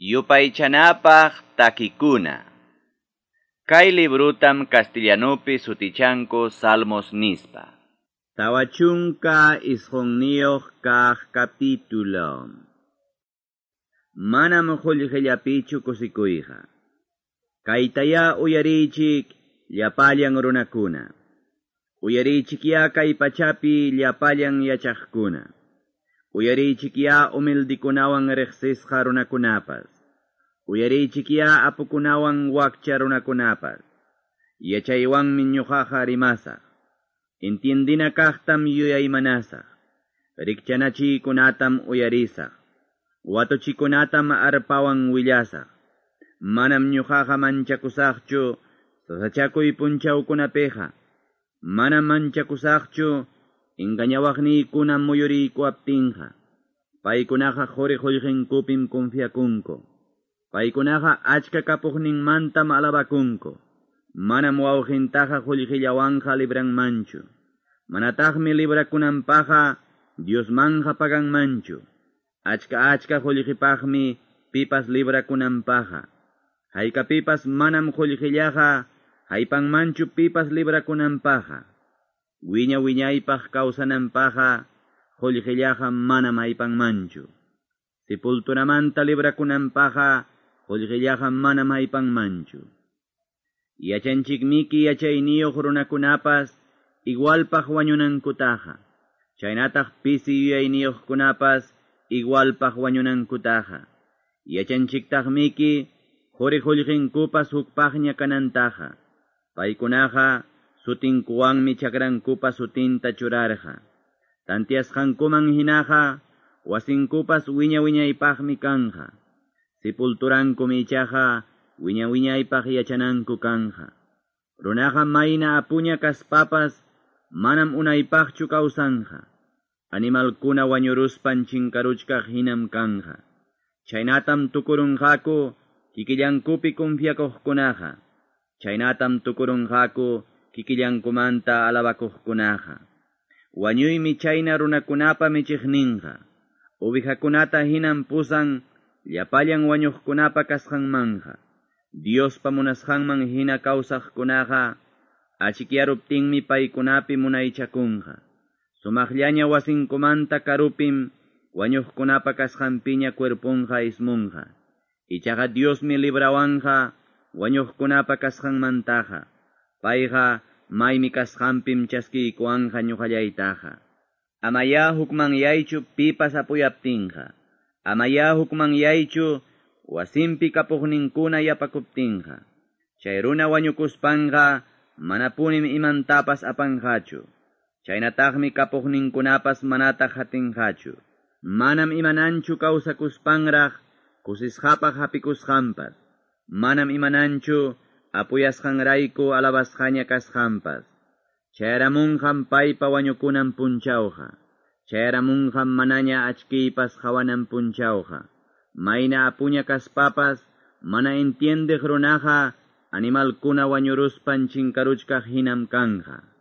Yupaychanapaq takikuna. Kay librutam castellanupi sutichanku Salmos nispa. 49 kaq capítulo. Manam qullqillapichu kusikuyqa. Kaytayá uyariychik llapallan runakuna. Uyariychikyá kay pachapi llapallan yachaqkuna. Uyariychikyá humildikunawan riqsisqa runakunapas. Uyariychikyá apukunawan wakcha runakunapas. Yachaywanmi ñuqaqa rimasaq. Entiendina kaqtam yuyaymanasaq. Rikchanachiykunatam uyarisaq. Watuchikunatam arpawan willasaq. Manam ñuqaqa manchakusaqchu sasachakuy punchawkunapiqa. Manam manchakusaqchu engañawaqniykuna muyuriykuwaptinqa. Paykunaqa quri qullqinkupim confiakunku. Paykunaqa achka kapuqninmantam alabakunku. Manam wawqintaqa qullqillawanqa libranmanchu. Manataqmi librakunanpaqqa Diosmanja paganmanchu. Achka achka qullqipaqmi pipas librakunanpaqqa. Haykapipas manam qullqillaqa haypanmanchu pipas librakunanpaqqa. Wiña wiñaypaq kawsananpaqqa qullqillaqa manam haypanmanchu. Sepulturamanta librakunanpaqqa qullqillaqa manam haypanmanchu. Yachanchikmiki yachayniyuq runakunapas igualpaq wañunankutaqa. Chaynataq pisi yuyayniyuqkunapas igualpaq wañunankutaqa. Yachanchiktaqmiki quri qullqinkupas hukpaqña kanantaqa. Paykunaqa sutinkuwanmi chakrankupa sutinta churarqa. Tantiasqankuman hinaqa wasinkupas wiña wiñaypaqmi kanja. Sepulturankumi ichaqa wiña wiñaypaq yachananku kanja. Runaqa mayna apuña kaspapas manam unaypaqchu kawsanja. Animalkuna wañuruspan chinkaruchkaq hinam kanja. Chaynatam tukurunqaku kikillankupi confiakuqkunaqa. Chaynatam tukurunqaku kikillankumanta alabakuqkunaqa. Wañuymi chayna runakunapa michiqninqa. Ovejakunata hinam pusan llapallan wañuqkunapa kasqanmanja. Diospa munasqanman hina kawsaqkunaqa achikyaruptinmi paykunapi munaychakunqa. Sumaqllaña wasinkumanta karupim wañuqkunapa kasqanpiña cuerponqa ismunqa. Ichaqa Diosmi librawanqa wañuqkunapa kasqanmantaqa. Payqa maymi kasqanpim chaskiykuwanqa ñuqallaytaqa. Amayá hukmanyaychu pipas apuyaptinqa. Amayá hukmanyaychu wasinpi kapuqninkuna yapakuptinqa. Chay runa wañukuspanqa manapunim imantapas apanqachu. Chaynataqmi kapuqninkunapas manataq hatinqachu. Manam imananchu kawsakuspanraq kusisqapaq hapikusqanpas. Manam imananchu apuyasqanrayku alabasqaña kasqanpas. Chayaramunqam paypa wañukunan punchawqa. Chayaramunqam manaña achkiypas hawanan punchawqa. Mayna apuña kaspapas mana entiendeq runaqa animalkuna wañuruspan chinkaruchkaq hinam kanja.